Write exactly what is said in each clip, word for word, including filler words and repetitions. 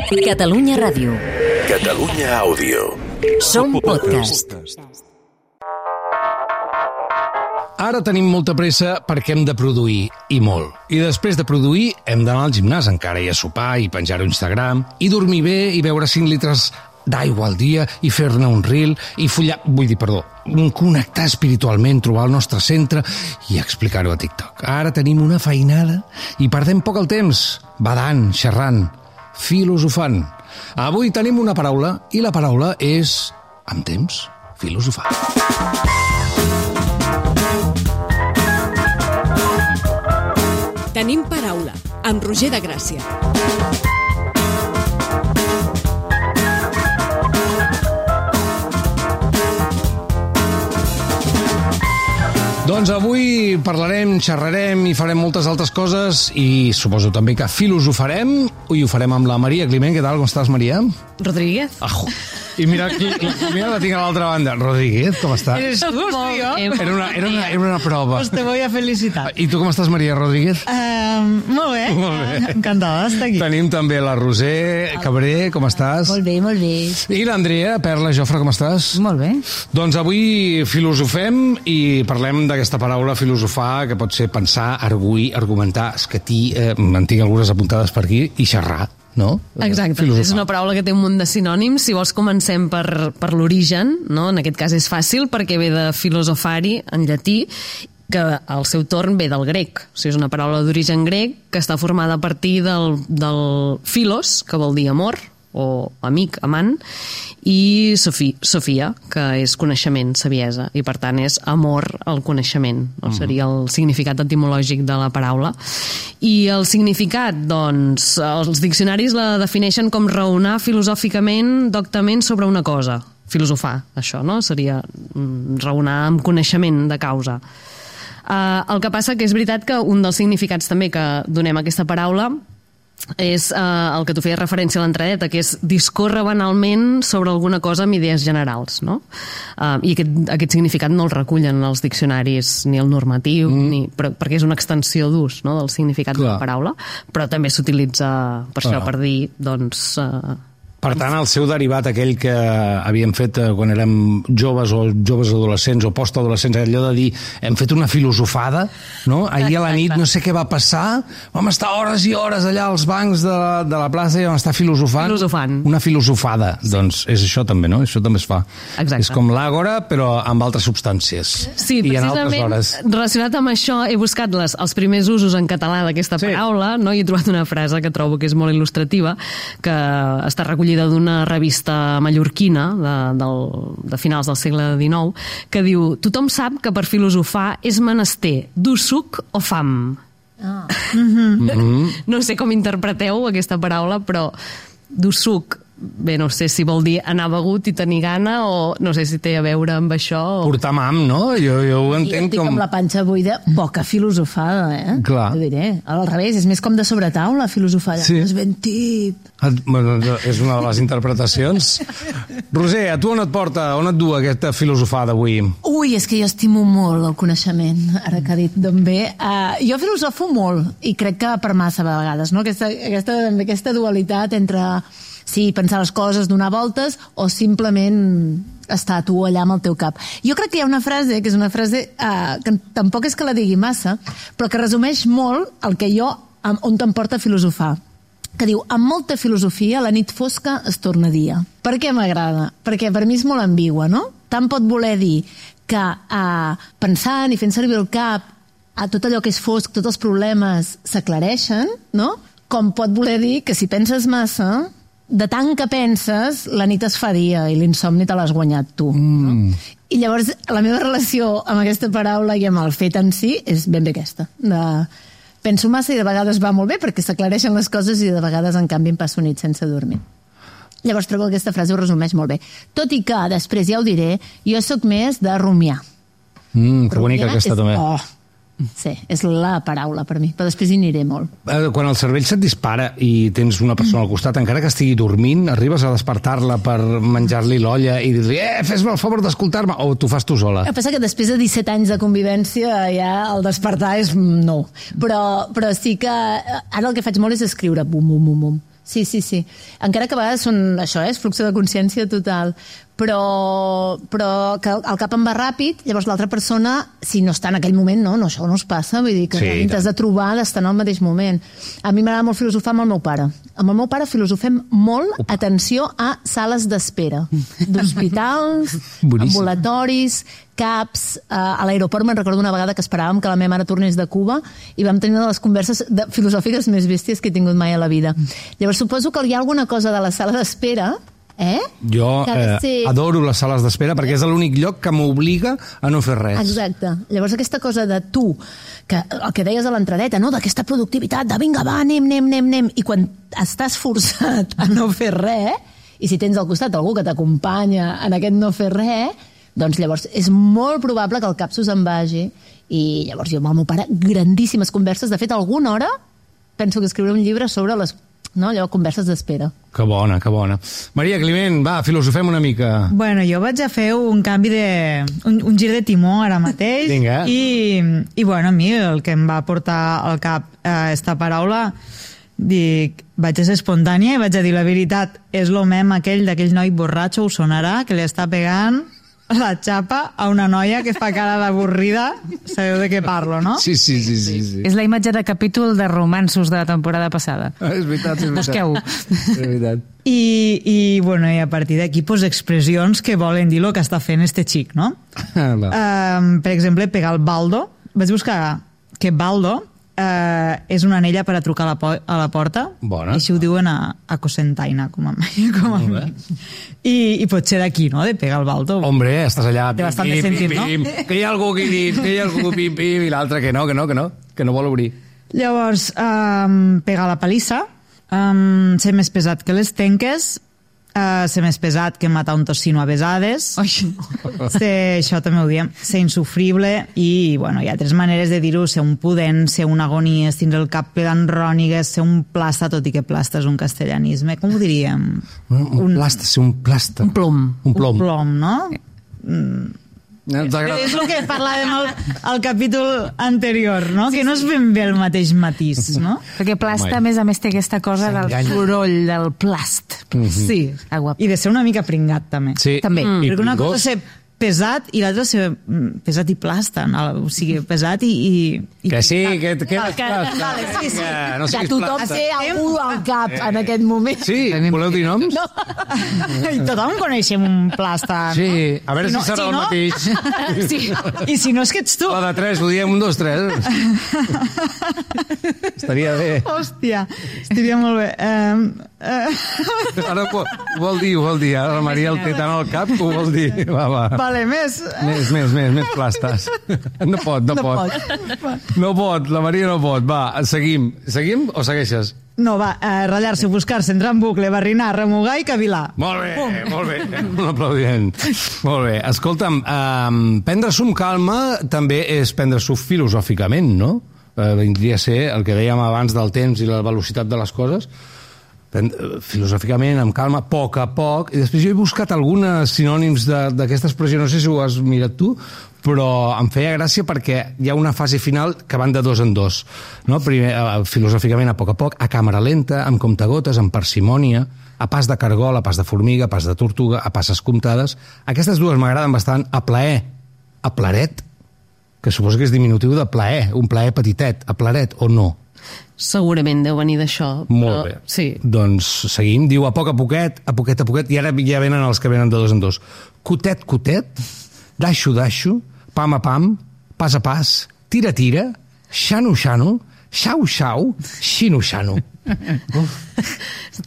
Catalunya Ràdio. Catalunya Àudio. Som podcast. Ara tenim molta pressa perquè hem de produir, i molt. I després de produir hem d'anar al gimnàs encara i a sopar i penjar-ho a Instagram i dormir bé i beure cinc litres d'aigua al dia i fer-ne un reel i follar... Vull dir, perdó, connectar espiritualment, trobar el nostre centre i explicar-ho a TikTok. Ara tenim una feinada i perdem poc el temps, badant, xerrant, filosofant. Avui tenim una paraula i la paraula és, amb temps, filosofar. Tenim paraula, amb Roger de Gràcia. Doncs avui parlarem, xerrarem i farem moltes altres coses i suposo també que filosofarem i ho farem amb la Maria Climent. Què tal, com estàs, Maria? Rodríguez. Ajo. I mira, mira la tinc a l'altra banda. Rodríguez, com estàs? Eres tú, tío. Era una, era, una, era una prova. Pues te voy a felicitar. I tu com estàs, Maria Rodríguez? Uh, molt bé. Molt bé. Encantada d'estar aquí. Tenim també la Roser Cabré, com estàs? Molt bé, molt bé. I l'Andrea Perla Jofre, com estàs? Molt bé. Doncs avui filosofem i parlem d'aquesta paraula filosofar, que pot ser pensar, arguir, argumentar, escatir, eh, en tinc algunes apuntades per aquí, i xerrar, no? Exacte, filosofar. És una paraula que té un munt de sinònims. Si vols comencem per, per l'origen, no? En aquest cas és fàcil perquè ve de filosofari en llatí, que al seu torn ve del grec. O sigui, és una paraula d'origen grec que està formada a partir del, del philos, que vol dir amor, o amic, amant, i Sofia, Sofia, que és coneixement, saviesa, i per tant és amor al coneixement, no? Mm. Seria el significat etimològic de la paraula. I el significat, doncs, els diccionaris la defineixen com raonar filosòficament, doctament sobre una cosa. Filosofar, això, no? Seria raonar amb coneixement de causa. Uh, el que passa que és veritat que un dels significats també que donem a aquesta paraula és eh, el que tu feies referència a l'entradeta, que és discórrer banalment sobre alguna cosa amb idees generals, no? Uh, I aquest, aquest significat no el recullen els diccionaris ni el normatiu, mm. ni, però, perquè és una extensió d'ús, no?, del significat Clar. de la paraula, però també s'utilitza per Clar. això, per dir, doncs... Uh, Per tant, el seu derivat, aquell que havíem fet quan érem joves o joves adolescents o postadolescents, allò de dir, hem fet una filosofada, no? Ahir a la nit no sé què va passar, vam estar hores i hores allà als bancs de la, de la plaça i vam estar filosofant. Filosofant. Una filosofada. Sí. Doncs és això també, no? Això també es fa. Exacte. És com l'àgora, però amb altres substàncies. Sí, I en altres precisament hores. Relacionat amb això he buscat les, els primers usos en català d'aquesta sí. paraula, no? I he trobat una frase que trobo que és molt il·lustrativa, que està recollida d'una revista mallorquina de, del, de finals del segle dinou, que diu: tothom sap que per filosofar és menester dur suc o fam. Ah. Mm-hmm. Mm-hmm. No sé com interpreteu aquesta paraula, però dur suc, bé, no sé si vol dir anar begut i tenir gana, o no sé si té a veure amb això. O... Portar mam, no? Jo, jo ho entenc jo com... amb la panxa buida, poca filosofada, eh? Clar. Ho diré. Al revés, és més com de sobretaula, filosofada. Sí. És ben tip. Bueno, és una de les interpretacions. Roser, a tu on et porta, on et du aquesta filosofada avui? Ui, és que jo estimo molt el coneixement, ara que ha dit d'on ve. Uh, jo filosofo molt, i crec que per massa vegades, no? Aquesta, aquesta, aquesta dualitat entre... sí, pensar les coses, donar voltes, o simplement estar tu allà amb el teu cap. Jo crec que hi ha una frase, que és una frase eh, que tampoc és que la digui massa, però que resumeix molt el que jo, on te'n porta a filosofar, que diu: amb molta filosofia la nit fosca es torna dia. Per què m'agrada? Perquè per mi és molt ambigua, no? Tant pot voler dir que eh, pensant i fent servir el cap, a tot allò que és fosc, tots els problemes s'aclareixen, no? Com pot voler dir que si penses massa, de tant que penses, la nit es fa dia i l'insomni te l'has guanyat tu. Mm. No? I llavors la meva relació amb aquesta paraula i amb el fet en si és ben bé aquesta. De... Penso massa i de vegades va molt bé perquè s'aclareixen les coses i de vegades, en canvi, em passo nit sense dormir. Llavors trobo que aquesta frase ho resumeix molt bé. Tot i que, després ja ho diré, jo sóc més de rumiar. Mm, que bonica aquesta és... també. Oh. Sí, és la paraula per mi, però després hi aniré molt. Quan el cervell se't dispara i tens una persona al costat, encara que estigui dormint, arribes a despertar-la per menjar-li l'olla i dir-li: eh, fes-me el favor d'escoltar-me, o tu fas tu sola? El que passa que després de disset anys de convivència ja el despertar és no. Però, però sí que ara el que faig molt és escriure bum, bum, bum, bum. Sí, sí, sí. Encara que a vegades són, això, eh, és fluxe de consciència total, però, però que el cap em va ràpid, llavors l'altra persona, si no està en aquell moment, no, no això no es passa, vull dir que Sí, t'has de trobar d'estar en el mateix moment. A mi m'agrada molt filosofar amb el meu pare. Amb el meu pare filosofem molt, Opa. atenció a sales d'espera, d'hospitals, Boníssim. ambulatoris, caps, eh, a l'aeroport me'n recordo una vegada que esperàvem que la meva mare tornés de Cuba i vam tenir una de les converses de, filosòfiques més bèsties que he tingut mai a la vida. Llavors suposo que hi ha alguna cosa de la sala d'espera, eh? Jo que ha de eh, ser- adoro les sales d'espera perquè és l'únic lloc que m'obliga a no fer res. Exacte. Llavors aquesta cosa de tu, que el que deies a l'entradeta, no? D'aquesta productivitat, de vinga, va, anem, anem, anem, anem, i quan estàs forçat a no fer res, i si tens al costat algú que t'acompanya en aquest no fer res, doncs llavors és molt probable que el cap s'us en vagi, i llavors jo amb el meu pare, grandíssimes converses, de fet alguna hora penso que escriuré un llibre sobre les, no, allò, converses d'espera. Que bona, que bona. Maria Climent, va, filosofem una mica. Bueno, jo vaig a fer un canvi de... un, un gir de timó ara mateix. Vinga. I, I, bueno, a mi el que em va portar al cap eh, esta paraula, dic, vaig a ser espontània i vaig a dir la veritat, és lo mem aquell d'aquell noi borratxo, us sonarà, que li està pegant la xapa a una noia que fa cara d'avorrida, sabeu de què parlo, no? Sí, sí, sí, sí. sí. És la imatge de capítol de romansos de la temporada passada. Ah, és veritat, és veritat. Busqueu-ho. És veritat. I, i, bueno, i a partir d'aquí, pues, expressions que volen dir el que està fent este xic, no? Ah, va. Um, per exemple, pegar el baldo. Vaig buscar que baldo uh, és una anella per a trucar a la, po a la porta. Bona. I així ho diuen a, a Cocentaina, com a, com a Molt bé. mi. I, I pot ser d'aquí, no?, de pegar el baldo. Hombre, estàs allà... Té bastant de sentit, no? Que hi ha algú aquí dins, que hi ha algú pim, pim, i l'altre que no, que no, que no, que no vol obrir. Llavors, um, pegar la palissa, um, ser més pesat que les tenques, uh, ser més pesat que matar un tocino a besades, ser, això també ho diem, ser insufrible i, bueno, hi ha tres maneres de dir-ho, ser un pudent, ser un agonies, tindre el cap ple d'enrònigues, ser un plasta, tot i que plasta és un castellanisme, com ho diríem? Un, un plasta, ser un plasta. Un plom. Un plom. Un plom, no? No t'agrada? És el que parlàvem al, al capítol anterior, no? Que no és ben bé el mateix matís, no? Perquè plasta, Home. a més a més, té aquesta cosa del S'enganya. soroll, del plast. Sí. Ah, guap. I de ser una mica pringat, també. Sí. També. Mm. I Perquè una pringós. cosa és ser pesat i l'altra ser mm, pesat i plasta, no? O sigui, pesat i... i, i Que sí, que, que Vale, eres plasta. vale, sí, sí. Vinga, no Que siguis tothom plasta. té algú al cap en aquest moment. Sí, voleu dir noms? No. I tothom coneixem un plasta, Sí, no? a veure si, no- serà el no- mateix. Sí. I si no és que ets tu. La de tres, ho diem un, dos, tres. Estaria bé. Hòstia, estaria molt bé. Um, uh, Ara ho, ho vol dir, ho vol dir. Ara la Maria el té tant al cap que ho vol dir. Va, va. vale, més... Més, més, més, més plastes. No pot, no, No pot. No pot, la Maria no pot. Va, seguim. Seguim o segueixes? No, va, uh, ratllar-se, buscar-se, entrar en bucle, barrinar, remugar i cavilar. Molt bé, molt bé. Un aplaudiment. Molt bé. Escolta'm, um, prendre-s'ho amb calma també és prendre-s'ho filosòficament, no? Uh, vindria a ser el que dèiem abans del temps i la velocitat de les coses. Prend- filosòficament, amb calma, a poc a poc, i després jo he buscat algunes sinònims de- d'aquesta expressió, no sé si ho has mirat tu, però em feia gràcia perquè hi ha una fase final que van de dos en dos, no? Primer, eh, filosòficament, a poc a poc, a càmera lenta, amb comptagotes, amb parsimònia, a pas de cargol, a pas de formiga, a pas de tortuga, a passes comptades. Aquestes dues m'agraden bastant. A plaer, a plaret, que suposo que és diminutiu de plaer, un plaer petitet, a plaret o no? Segurament deu venir d'això. Molt però, bé. Sí. Doncs seguim. Diu a poc a poquet, a poquet a poquet, i ara ja venen els que venen de dos en dos. Cotet, cotet, daixo, daixo, pam a pam, pas a pas, tira, tira, xano, xano, xau, xau, xino, xano.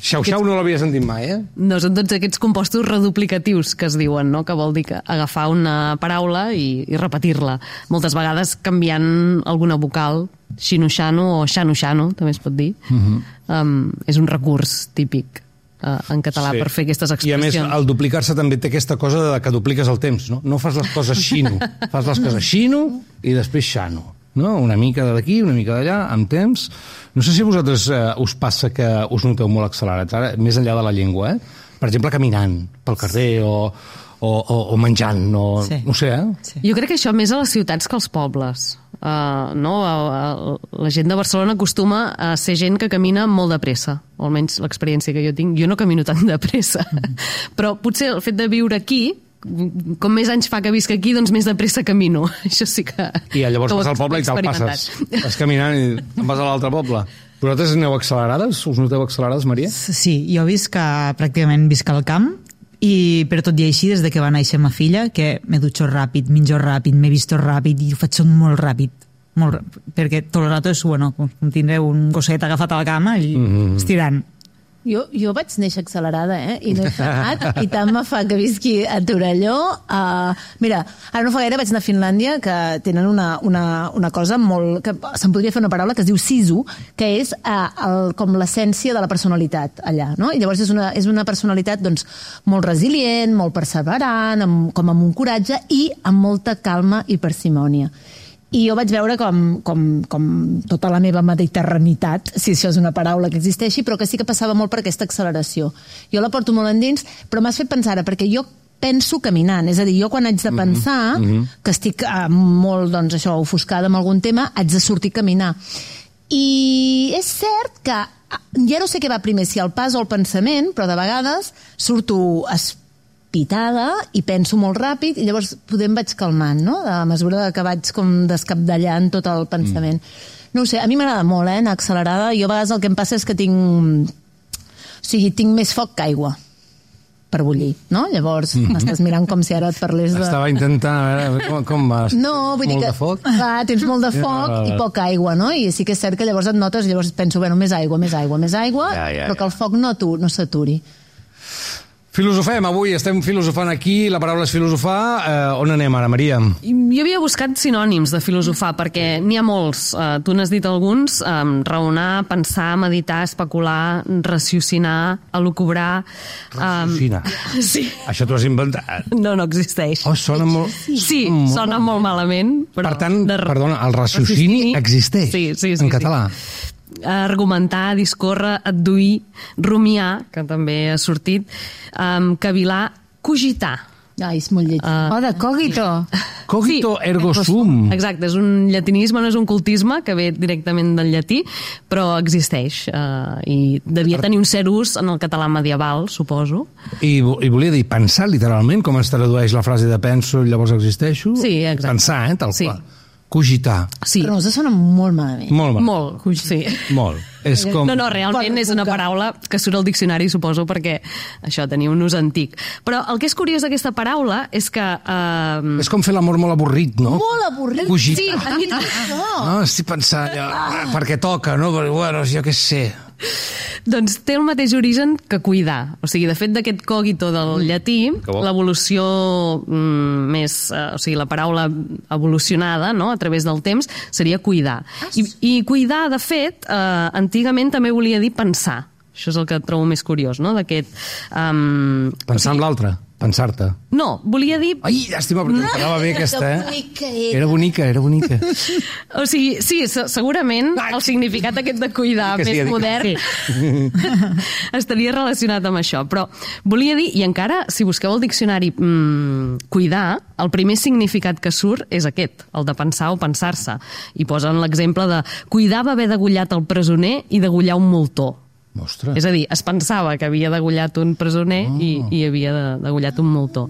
Xau, xau no l'havia sentit mai, eh? No, són tots aquests compostos reduplicatius que es diuen, no? Que vol dir que agafar una paraula i, i repetir-la. Moltes vegades canviant alguna vocal, xino-xano o xano-xano, també es pot dir. Uh-huh. um, és un recurs típic uh, en català Sí. per fer aquestes I a més, expressions. el duplicar-se també té aquesta cosa de que dupliques el temps, no? No fas les coses xino, fas les coses xino i després xano. No? Una mica d'aquí, una mica d'allà, amb temps. No sé si a vosaltres eh, us passa que us noteu molt accelerats, ara, més enllà de la llengua, eh? Per exemple, caminant pel carrer o, o, o, o menjant, no, Sí. no ho sé, eh? Sí. Jo crec que això més a les ciutats que als pobles. Uh, no? uh, la gent de Barcelona acostuma a ser gent que camina molt de pressa, o almenys l'experiència que jo tinc. Jo no camino tan de pressa, mm. però potser el fet de viure aquí, com més anys fa que visc aquí, doncs més de pressa camino. Això sí que... I llavors que ho vas al poble i te'l experimentat. passes. Vas caminant i te'n vas a l'altre poble. Vosaltres aneu accelerades? Us noteu accelerades, Maria? Sí, jo visc a, pràcticament visc al camp, i per tot i així, des de que va néixer ma filla, que m'he dutxat ràpid, menjo ràpid, m'he vist ràpid i ho faig tot molt ràpid. Molt ràpid, perquè tot el rato és, bueno, com tindré un gosset agafat a la cama i mm-hmm. estirant. Jo, jo vaig néixer accelerada, eh? I no he frenat, i tant me fa que visqui a Torelló. Uh, mira, ara no fa gaire vaig anar a Finlàndia, que tenen una, una, una cosa molt... que se'n podria fer una paraula que es diu sisu, que és uh, el, com l'essència de la personalitat allà, no? I llavors és una, és una personalitat doncs, molt resilient, molt perseverant, amb, com amb un coratge i amb molta calma i parsimònia. I jo vaig veure com, com, com tota la meva mediterranitat, si això és una paraula que existeixi, però que sí que passava molt per aquesta acceleració. Jo la porto molt endins, però m'has fet pensar, perquè jo penso caminant, és a dir, jo quan haig de pensar, mm-hmm. que estic eh, molt, doncs, això, ofuscada amb algun tema, haig de sortir a caminar. I és cert que ja no sé què va primer, si el pas o el pensament, però de vegades surto pitada i penso molt ràpid i llavors poder em vaig calmant, no? A mesura que vaig com descapdallant tot el pensament. Mm. No ho sé, a mi m'agrada molt, eh, anar accelerada. Jo a vegades el que em passa és que tinc... O sigui, tinc més foc que aigua per bullir, no? Llavors mm-hmm. m'estàs mirant com si ara et parlés de... Estava intentant, a veure, com, com vas? No, vull molt dir que... de foc? Clar, tens molt de foc i poca aigua, no? I sí que és cert que llavors et notes, llavors penso, bueno, més aigua, més aigua, més aigua, ja, ja, però que el foc no, tu, no s'aturi. Filosofem, avui estem filosofant aquí, la paraula és filosofar. Eh, on anem ara, Maria? Jo havia buscat sinònims de filosofar, perquè n'hi ha molts. Uh, tu n'has dit alguns, um, raonar, pensar, meditar, especular, raciocinar, elucubrar... Um, Raciocinar? Sí. Això t'ho has inventat? No, no existeix. Oh, sona molt... Sí, sona molt malament, però... Per tant, de... perdona, el raciocini, raciocini existeix sí, sí, sí, en català. Sí. Argumentar, discórrer, adduir, rumiar, que també ha sortit, um, cavilar, cogitar. Ai, és molt lletí. Uh, oh, de cogito. Cogito sí, ergo sum. Exacte, és un llatinisme, no és un cultisme, que ve directament del llatí, però existeix. Uh, I devia tenir un cert ús en el català medieval, suposo. I, I volia dir pensar, literalment, com es tradueix la frase de penso i llavors existeixo? Sí, exacte. Pensar, eh, tal sí. qual. Cogitar. Sí. Però no us sona molt malament. Molt malament. Molt, sí. Molt. És com... No, no, realment és una paraula que surt al diccionari, suposo, perquè això tenia un ús antic. Però el que és curiós d'aquesta paraula és que... Uh... És com fer l'amor molt avorrit, no? Molt avorrit. Cogitar. Sí, a mi... No. No, estic pensant, ja, perquè toca, no? Però, bueno, jo què sé... Doncs té el mateix origen que cuidar. O sigui, de fet, d'aquest cogito del llatí, l'evolució mm, més... Eh, o sigui, la paraula evolucionada, no?, a través del temps, seria cuidar. I, i cuidar, de fet, eh, antigament també volia dir pensar. Això és el que trobo més curiós, no?, d'aquest... Um, Pensar o sigui, en l'altre, pensar-te. No, volia dir... Ai, llàstima, perquè no, quedava bé aquesta, eh? Era. era bonica, era bonica. O sigui, sí, segurament el significat aquest de cuidar que més sí, modern sí. estaria relacionat amb això, però volia dir, i encara, si busqueu el diccionari mmm, cuidar, el primer significat que surt és aquest, el de pensar o pensar-se, i posen l'exemple de cuidar va haver degullat el presoner i degullar un moltó. Ostres. És a dir, es pensava que havia degullat un presoner oh. i, i havia de, degullat un moltó.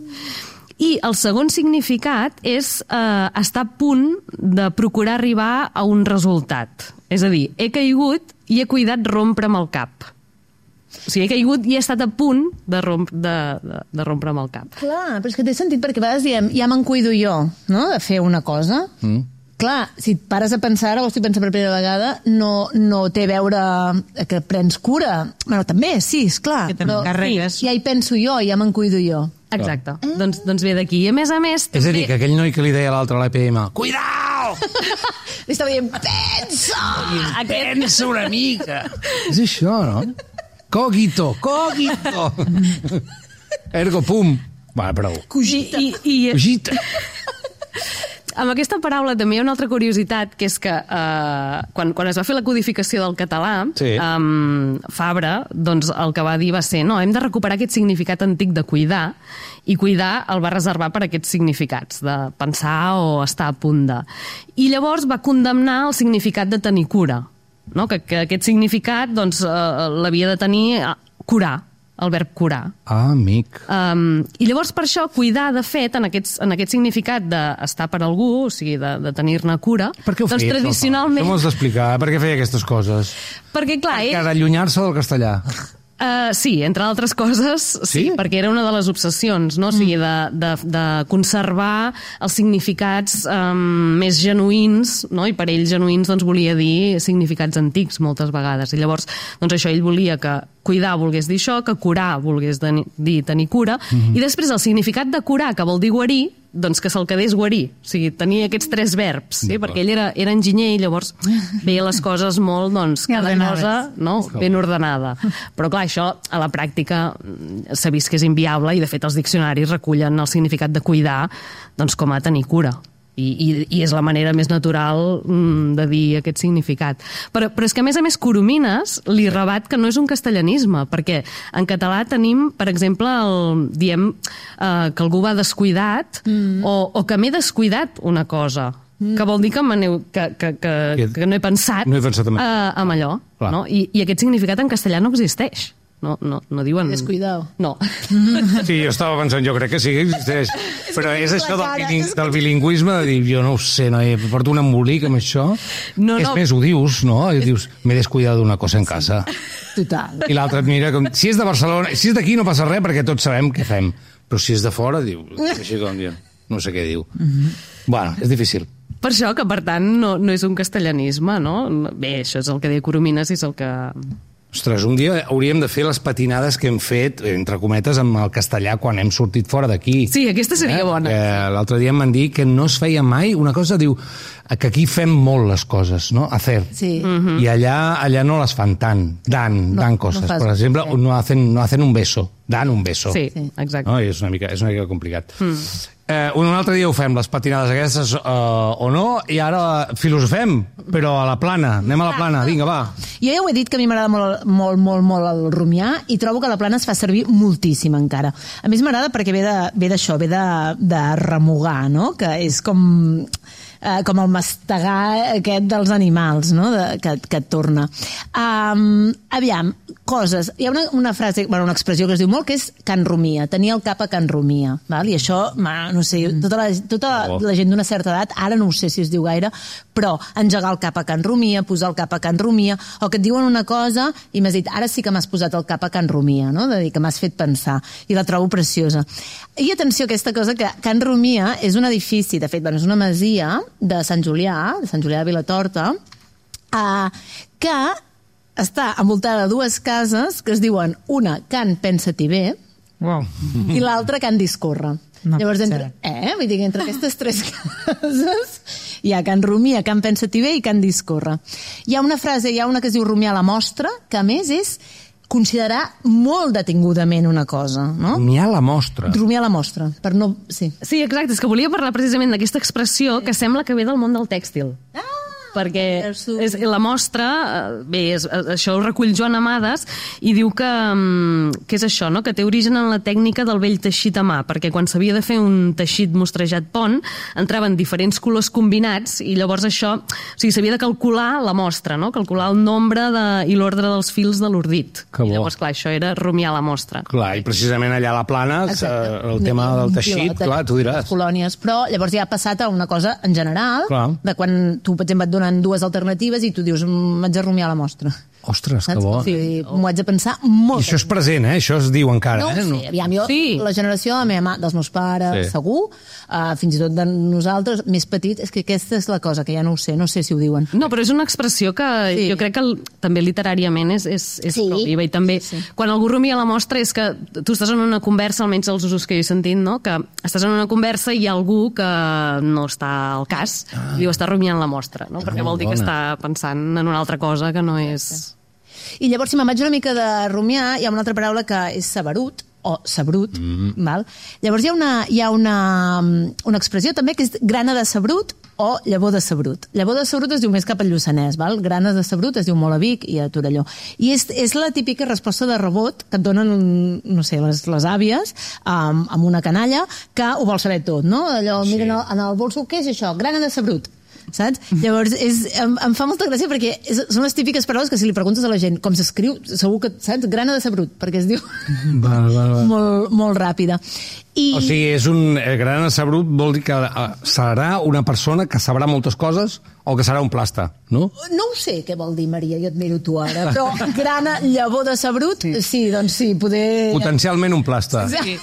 I el segon significat és eh, estar a punt de procurar arribar a un resultat. És a dir, he caigut i he cuidat rompre'm el cap. O sigui, he caigut i he estat a punt de, romp, de, de, de rompre'm el cap. Clar, però és que té sentit, perquè a vegades diem, ja me'n cuido jo, no?, de fer una cosa. Mm. Clar, si et pares a pensar, o estic pensant per primera vegada, no, no té a veure que prens cura. Bueno, també, sí, esclar. Que però sí, ja hi penso jo, ja me'n cuido jo. Exacte. Eh? Doncs, doncs ve d'aquí. I a més a més... És a dir, que aquell noi que li deia a l'altre a l'E P M, cuidao! Li estava dient, pensa! Pensa una mica! És això, no? Cogito, cogito! Ergo, pum! Va, prou. Cogita. I, i, Cogita. amb aquesta paraula també hi ha una altra curiositat, que és que eh, quan, quan es va fer la codificació del català, Sí. eh, Fabra, doncs el que va dir va ser no, hem de recuperar aquest significat antic de cuidar, i cuidar el va reservar per aquests significats, de pensar o estar a punt de. I llavors va condemnar el significat de tenir cura, no? que, que aquest significat doncs, eh, l'havia de tenir eh, curar, el verb curar. Ah, amic. Um, I llavors per això cuidar, de fet, en, aquests, en aquest significat d'estar per algú, o sigui, de, de tenir-ne cura, Per què ho doncs feia, tradicionalment... això? Com has d'explicar? Per què feia aquestes coses? Perquè, clar, Per ell... allunyar-se del castellà. Uh, sí, entre altres coses, sí, Sí? perquè era una de les obsessions, no? O sigui, de, de, de conservar els significats um, més genuïns, no? I per ell genuïns doncs, volia dir significats antics moltes vegades. I llavors, doncs això, ell volia que cuidar volgués dir això, que curar volgués dir tenir cura, mm-hmm. i després el significat de curar, que vol dir guarir, doncs que se'l quedés guarir. O sigui, tenia aquests tres verbs, sí? Perquè ell era, era enginyer i llavors veia les coses molt, doncs, cada cosa no? ben ordenada. Però clar, això a la pràctica s'ha vist que és inviable i de fet els diccionaris recullen el significat de cuidar doncs, com a tenir cura. I, i, i és la manera més natural mm, de dir aquest significat. Però, però és que, a més a més, Coromines li rebat que no és un castellanisme, perquè en català tenim, per exemple, el, diem eh, que algú va descuidat mm. o, o que m'he descuidat una cosa, mm. que vol dir que, que, que, que, que no he pensat, no he pensat en, eh, en allò. No? I, I aquest significat en castellà no existeix. No, no, no diuen... Descuidado. No. Sí, jo estava pensant, jo crec que sí que existeix. Però és això del, biling, del bilingüisme, de dir, jo no ho sé, no, porto un embolic amb això. No, és no. més, ho dius, no? I dius, m'he descuidat d'una cosa en casa. Total. I l'altre et mira com... Si és de Barcelona, si és d'aquí no passa res, perquè tots sabem què fem. Però si és de fora, diu... Així com, no sé què diu. Mm-hmm. Bueno, és difícil. Per això que, per tant, no, no és un castellanisme, no? Bé, això és el que deia Coromines i és el que... Ostres, un dia hauríem de fer les patinades que hem fet, entre cometes, amb el castellà quan hem sortit fora d'aquí. Sí, aquesta seria eh? bona. Eh, L'altre dia em van dir que no es feia mai una cosa, diu, que aquí fem molt les coses, no? Hacer. Sí. Mm-hmm. I allà, allà no les fan tant, dan, No, dan no coses. fas- Per exemple, sí. no hacen, no hacen un beso, dan un beso. Sí, Sí. exacte. No? I és una mica, és una mica complicat. Mm. Eh, un altre dia ho fem, les patinades aquestes, eh, o no, i ara filosofem, però a la plana. Anem a la plana, vinga, va. Jo ja ho he dit que a mi m'agrada molt, molt, molt, molt el rumiar i trobo que la plana es fa servir moltíssim encara. A més m'agrada perquè ve de- ve d'això, ve, ve de, de remugar, no? Que és com... eh, com el mastegar aquest dels animals, no? De, que, que et torna. Um, aviam, coses. Hi ha una, una frase, bueno, una expressió que es diu molt, que és can rumia, tenir el cap a can rumia. Val? I això, ma, no sé, tota la, tota Oh. la gent d'una certa edat, ara no ho sé si es diu gaire, però engegar el cap a can rumia, posar el cap a can rumia, o que et diuen una cosa i m'has dit, ara sí que m'has posat el cap a can rumia, no? De dir que m'has fet pensar, i la trobo preciosa. I atenció a aquesta cosa, que Can Rumia és un edifici, de fet, bueno, és una masia de Sant Julià, de Sant Julià de Vilatorta, eh, que està envoltada de dues cases que es diuen una Can Pensa-t'hi bé Wow. i l'altra Can Discorre. No Llavors, pot entre, ser. eh? Vull dir que entre aquestes tres cases hi ha Can Rumia, Can Pensa-t'hi bé i Can Discorre. Hi ha una frase, hi ha una que es diu rumiar la mostra, que a més és considerar molt detingudament una cosa, no? N'hi ha la mostra. Rumiar la mostra, per no... Sí. Sí, exacte, és que volia parlar precisament d'aquesta expressió que sembla que ve del món del tèxtil. Ah! Perquè Veus tu. és, la mostra, eh, bé, és, això ho recull Joan Amades i diu que, mm, que és això, no? Que té origen en la tècnica del vell teixit a mà, perquè quan s'havia de fer un teixit mostrejat pont entraven diferents colors combinats i llavors això, o sigui, s'havia de calcular la mostra, no? Calcular el nombre de, i l'ordre dels fils de l'ordit. Que bo. I llavors, clar, això era rumiar la mostra. Clar, i precisament allà a la plana, eh, el tema del Un teixit, pilot de- clar, tu diràs. les colònies, però llavors ja ha passat a una cosa en general, Clar. de quan tu, per exemple, et donen dues alternatives i tu dius, "Mm, m'haig de rumiar la mostra. Ostres, que Saps? bo. Sí, m'ho haig de pensar molt. I això és present, eh? Això es diu encara, No ho eh? sé, aviam, jo, Sí. la generació de la meva mà, dels meus pares, Sí. segur, uh, fins i tot de nosaltres, més petits, és que aquesta és la cosa, que ja no ho sé, no sé si ho diuen. No, però és una expressió que Sí. jo crec que el, també literàriament és, és, és Sí. pròpia. I també, Sí, sí. quan algú rumia la mostra és que tu estàs en una conversa, almenys els usos que jo he sentit, no? Que estàs en una conversa i hi ha algú que no està al cas ah. i diu està rumiant la mostra, no? Perquè vol dir que està pensant en una altra cosa que no és... I llavors, si me'n vaig una mica de rumiar, hi ha una altra paraula que és saberut, o sabrut, mm. val? Llavors hi ha, una, hi ha una, una expressió també que és grana de sabrut o llavor de sabrut. Llavor de sabrut es diu més cap al Lluçanès, val? Grana de sabrut es diu molt a Vic i a Torelló. I és, és la típica resposta de rebot que et donen, no sé, les, les àvies um, amb una canalla que ho vol saber tot, no? Allò, sí. Miren en el bolso, què és això? Grana de sabrut. Saps? Llavors, és, em, em fa molta gràcia perquè és, són les típiques paraules que si li preguntes a la gent com s'escriu, segur que, saps? Grana de sabrut, perquè es diu val, val, val. molt, molt ràpida. I... O sigui, és un eh, grana de sabrut vol dir que eh, serà una persona que sabrà moltes coses o que serà un plasta, no? No ho sé què vol dir, Maria, jo et miro tu ara, però grana, llavor de sabrut, sí, sí doncs sí, poder... Potencialment un plasta. Sí.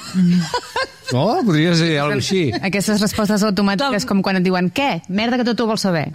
No? Podria ser alguna així. Aquestes respostes automàtiques com quan et diuen què? Merda que tot ho vols saber.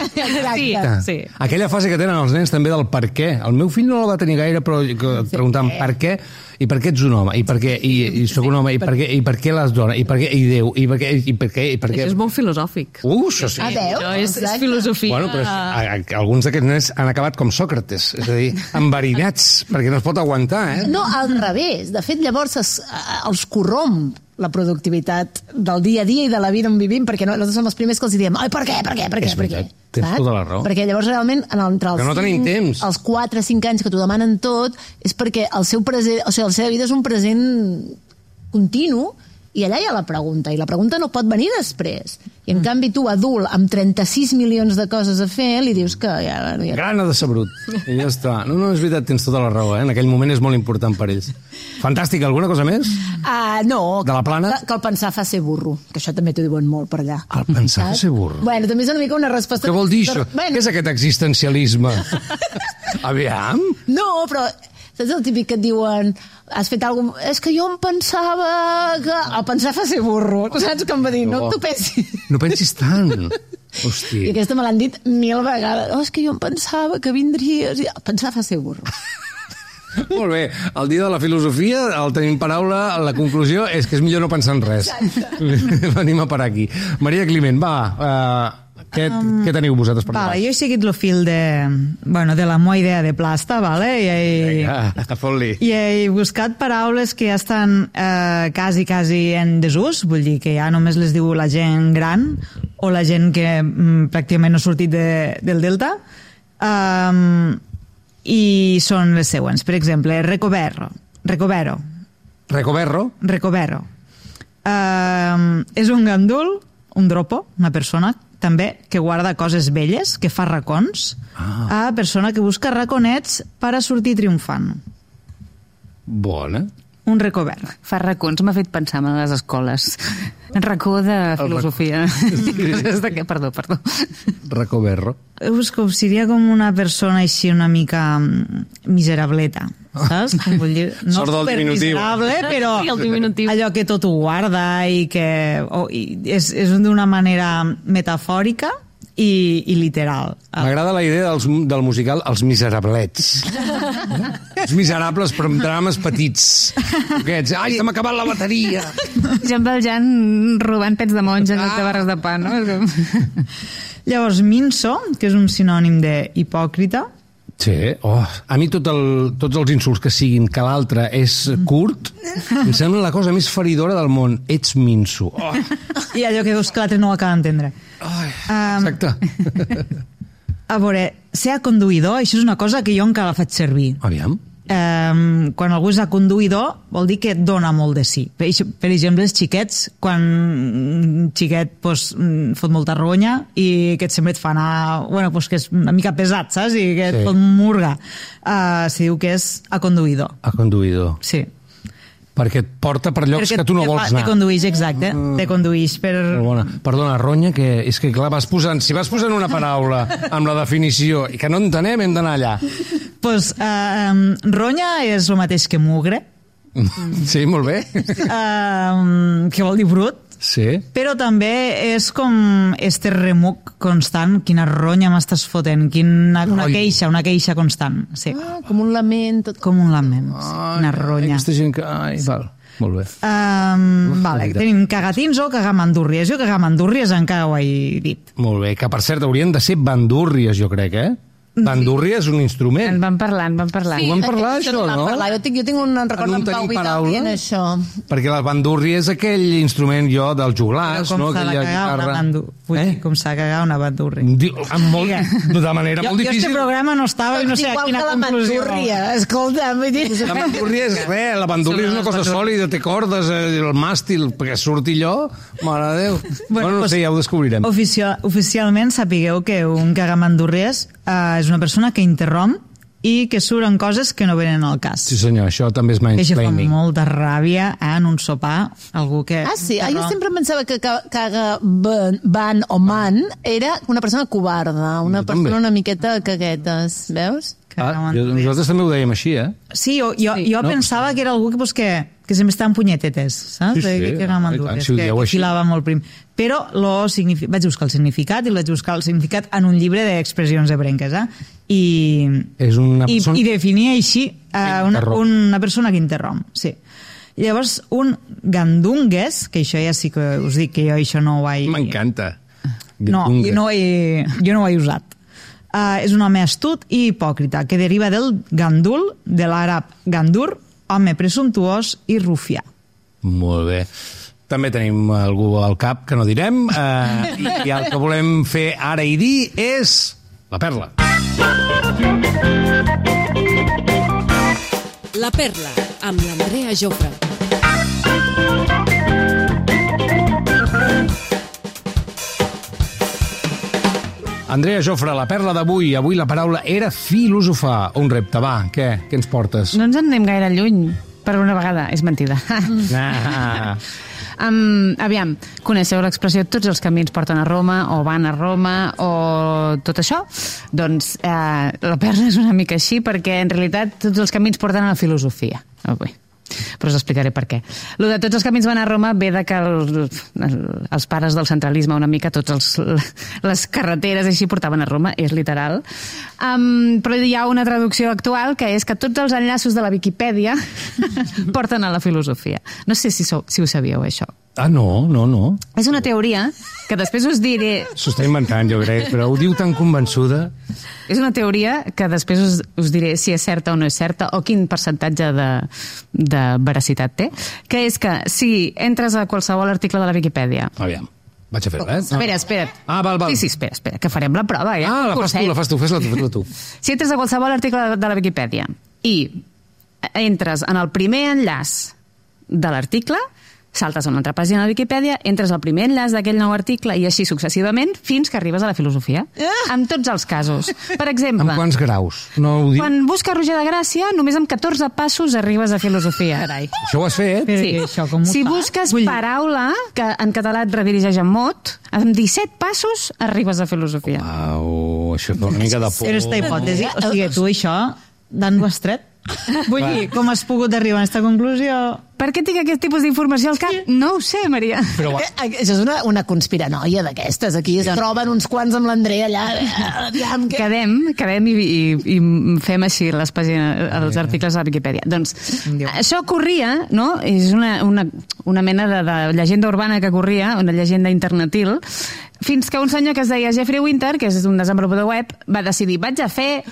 Sí, sí. Aquella fase que tenen els nens també del per què. El meu fill no la va tenir gaire, però et preguntaven per què, i per què ets un home, i per què, i, i soc un home, i per què, i per què les dones, i per què, i Déu, i per què, i per què, i per què... Això és molt filosòfic. Uh, això sí. A veure, Això és, és filosofia. Bueno, però és, a, a, alguns d'aquests nens han acabat com Sòcrates, és a dir, enverinats, perquè no es pot aguantar, eh? No, al revés. De fet, llavors es, els corromp la productivitat del dia a dia i de la vida on vivim, perquè no, nosaltres som els primers que els diem ai, per què, per què, per què, És per què? veritat, tens tota la raó. Perquè llavors realment en el, entre els, Que no tenim cinc, temps. els quatre cinc anys que t'ho demanen tot és perquè el seu present, o sigui, la seva vida és un present continu i allà hi ha la pregunta, i la pregunta no pot venir després. I en mm. canvi tu, adult, amb trenta-sis milions de coses a fer, li dius que ja... ja... Grana de sabrut. I ja està. No, no, és veritat, tens tota la raó, eh? En aquell moment és molt important per ells. Fantàstic, alguna cosa més? Uh, no, De la plana? Que, que el pensar fa ser burro, que això també t'ho diuen molt per allà. El pensar fa ser burro? Bueno, també és una mica una resposta... Què vol dir això? Bueno. Què és aquest existencialisme? Aviam? No, però saps el típic que et diuen has fet alguna cosa... És que jo em pensava que... El pensar fa ser burro, saps com va dir? No, no t'ho pensis. No pensis tant. Hòstia. I aquesta me l'han dit mil vegades. Oh, és que jo em pensava que vindries... El pensar fa ser burro. Molt bé, el dia de la filosofia, el tenim paraula, la conclusió és que és millor no pensar en res. Venim a parar aquí. Maria Climent, va... Uh... Què, um, què teniu vosaltres per vale, jo he seguit el fil de, bueno, de la meva idea de plasta, vale? I he, Vinga, fot-li. I he buscat paraules que ja estan eh, quasi, quasi en desús, vull dir que ja només les diu la gent gran o la gent que mm, pràcticament no ha sortit de, del Delta, um, i són les següents. Per exemple, recovero. Recovero. Recoberro. Recovero. Um, és un gandul, un dropo, una persona també que guarda coses velles, que fa racons, ah. a persona que busca raconets per a sortir triomfant. Bona. Un recovert. Fa racons, m'ha fet pensar en les escoles. Un racó de filosofia. Rac... de... Perdó, perdó. Recoberro. És com, seria com una persona així una mica miserableta, saps? Com vull dir, no Sort del diminutiu. Miserable, però Sí, el diminutiu. allò que tot ho guarda i que oh, i és, és d'una manera metafòrica i, i literal. M'agrada la idea dels, del musical Els Miserablets. Els miserables, però amb drames petits. Aquests, ai, se m'ha acabat la bateria. Jean Valjean robant pets de monja en ah. de barres de pa, no? Llavors, minso, que és un sinònim d'hipòcrita. Sí, oh, a mi tot el, tots els insults que siguin que l'altre és curt em sembla la cosa més feridora del món. Ets minso. Oh. I allò que veus que l'altre no ho acaba d'entendre. Oh, um, exacte. A veure, ser conduïdor, això és una cosa que jo encara faig servir. Aviam. Um, quan algú és conduïdor vol dir que dona molt de sí. Per, per exemple, els xiquets, quan un xiquet pues, fot molta ronya i que et sempre et fa anar, bueno, pues, que és una mica pesat, saps? I que et sí. pot murgar. Uh, se diu que és aconduïdor. Aconduïdor. Sí. Perquè et porta per llocs Perquè que tu no te vols fa, anar. Te conduïx, exacte. Mm. Te conduïx per... Bona. Perdona, ronya, que és que clar, vas posant, si vas posant una paraula amb la definició i que no entenem, hem d'anar allà. Pues, uh, um, ronya és el mateix que mugre. Sí, molt bé. Uh, que vol dir brut. Sí. Però també és com este remuc constant. Quina ronya m'estàs fotent. Quina, una Ai. queixa, una queixa constant. Sí. Ah, com un lament. Tot... Com un lament. Sí. Ai, Una ronya. Aquesta gent que... Ai, val. Molt bé. Um, Uf, vale, veritat. tenim cagatins o cagamandúrries. Jo cagamandúrries encara ho he dit. Molt bé, que per cert haurien de ser bandúrries, jo crec, eh? Bandúrria és un En instrument. van parlar, en van parlar. Ho vam parlar, això, vam no? Parlar. Jo tinc, jo tinc un record En un amb Pau tenim Vital paraula? dient això. Perquè la bandúrria és aquell instrument, jo, dels Però joglars, com no? s'ha de Aquella cagar una guitarra. bandúrria? Vull dir, com s'ha de cagar una bandúrria? Di- amb molt, de manera Jo, molt jo este difícil. programa no estava i no sé a Igual quina que la conclusió. bandúrria, escolta, vull dir... La bandúrria és res, la bandúrria és una cosa sòlida, té cordes, eh, el màstil, perquè surti allò, mare de Déu. Bueno, no doncs, sé, ja ho descobrirem. Oficio, oficialment sapigueu que un cagamandúrries eh, és una persona que interromp i que suren coses que no venen al cas. Sí senyor, això també és Que això fa mansplaining. molta ràbia eh, en un sopar, algú que... Ah, sí? Ah, jo interromp. sempre pensava que ca- caga ban, ban o man era una persona covarda, una Jo persona també. una miqueta caguetes, veus? Ah, Cagamandúrries. jo, nosaltres també ho dèiem així, eh? Sí, jo, jo, Sí, jo no? pensava que era algú que, pues, que, que sempre està en punyetetes, saps? Sí, sí, Que- que i tant, cagamandúrries, si ho que, dieu que així. filava molt prim. Però lo signifi... vaig buscar el significat i el vaig buscar el significat en un llibre d'expressions ebrenques, eh? I, És una i, persona... i definia així eh, una, interromp. una persona que interromp, sí. Llavors, un gandungues, que això ja sí que us dic que jo això no ho vaig... M'encanta. No, jo no ho he, jo no ho he usat. Uh, és un home astut i hipòcrita, que deriva del gandul, de l'àrab gandur, home presumptuós i rufià. Molt bé. També tenim algú al cap que no direm, eh, i, i el que volem fer ara i dir és la perla. La Perla, amb l'Andrea Jofre. Andrea Jofre, la perla d'avui. Avui la paraula era filosofar. Un repte, va, què? Què ens portes? No ens en anem gaire lluny, per una vegada. És mentida. Ah. Um, aviam, coneixeu l'expressió tots els camins porten a Roma o van a Roma o tot això? Doncs eh, la perla és una mica així perquè en realitat tots els camins porten a la filosofia. Oh, bé. Però us explicaré per què. Lo de tots els camins van a Roma ve de que el, el, els pares del centralisme una mica, tots els, les carreteres així portaven a Roma, és literal. Um, però hi ha una traducció actual que és que tots els enllaços de la Viquipèdia porten a la filosofia. No sé si, sou, si ho sabíeu, això. Ah, no, no, no. És una teoria que després us diré... S'ho està inventant, jo crec, però ho diu tan convençuda. És una teoria que després us, us diré si és certa o no és certa o quin percentatge de, de veracitat té, que és que si entres a qualsevol article de la Viquipèdia... Aviam, vaig a fer-la, eh? Espera, espera. Ah, val, val. Sí, sí, espera, espera, que farem la prova, ja. Ah, la fas tu, la fas tu, fes-la tu, fes-la tu. Si entres a qualsevol article de la Viquipèdia i entres en el primer enllaç de l'article, saltes a una altra pàgina de la Viquipèdia, entres al primer enllaç d'aquell nou article i així successivament fins que arribes a la filosofia. En tots els casos. Per exemple, Amb quants graus? No ho dic? quan busques Roger de Gràcia, només amb catorze passos arribes a filosofia. Carai. Això ho has fet? Però Sí. que això com ho Si fa? busques Vull dir- paraula, que en català et redirigeix en mot, amb disset passos arribes a filosofia. Au, això fa una mica de por. Era esta hipòtesi. O sigui, tu això, d'on ho has tret? Vull dir, com has pogut arribar a aquesta conclusió? Per què tinc aquest tipus d'informació al cap? No ho sé, Maria. Però va, Eh, Això és una, una conspiranoia d'aquestes. Aquí es troben uns quants amb l'Andrea allà. eh, Aviam, que... Quedem, quedem i, i, i fem així les pàgines, els articles de la Viquipèdia. Doncs Déu. això corria, no? És una, una, una mena de, de llegenda urbana que corria, una llegenda internetil, fins que un senyor que es deia Jeffrey Winter, que és un desenvolupador web, va decidir, vaig a fer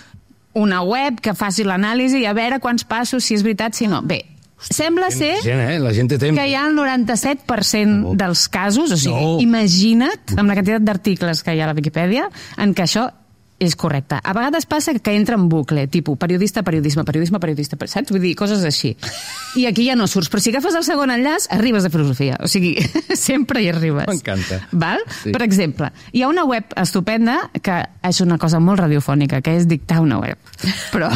una web que faci l'anàlisi i a veure quants passos, si és veritat, si no. Bé, sembla ser gent, eh? La gent té temps. que hi ha el noranta-set per cent dels casos, o sigui, No. imagina't amb la quantitat d'articles que hi ha a la Viquipèdia en què això és correcte. A vegades passa que entra en bucle, tipus periodista, periodisme, periodisme, periodista, saps? Vull dir, coses així. I aquí ja no surts, però si agafes el segon enllaç, arribes a filosofia. O sigui, sempre hi arribes. M'encanta. Val? Sí. Per exemple, hi ha una web estupenda que és una cosa molt radiofònica, que és dictar una web. Però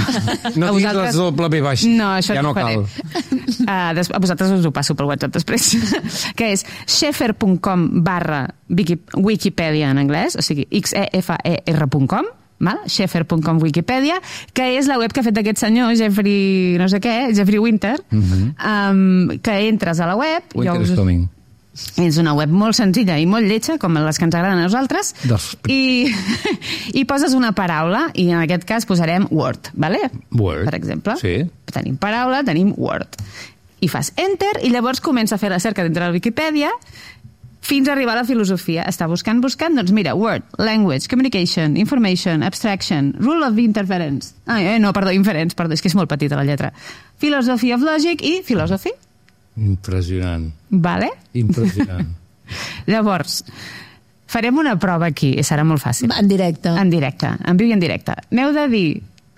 No a diguis les doble B baix. No, això ja no t'ho faré. cal. Uh, des, a vosaltres us ho passo per WhatsApp després. Que és xefer.com barra Wikipedia en anglès, o sigui, x e f e r punt com, xefer punt com Wikipedia, que és la web que ha fet aquest senyor, Jeffrey no sé què, Jeffrey Winter, Mhm. um, que entres a la web... Winter jo us- is coming. és una web molt senzilla i molt lletja, com les que ens agraden a nosaltres, Dels- i, i poses una paraula, i en aquest cas posarem Word, vale? Word. Per exemple. Sí. Tenim paraula, tenim Word. I fas Enter, i llavors comença a fer la cerca dintre de la Viquipèdia, fins a arribar a la filosofia. Està buscant, buscant, doncs mira, word, language, communication, information, abstraction, rule of interference. Ah, eh, no, perdó, inference, perdó, és que és molt petita la lletra. Philosophy of logic i philosophy. Impressionant. Vale? Impressionant. Llavors, farem una prova aquí, i serà molt fàcil. En directe. En directe, en viu i en directe. M'heu de dir,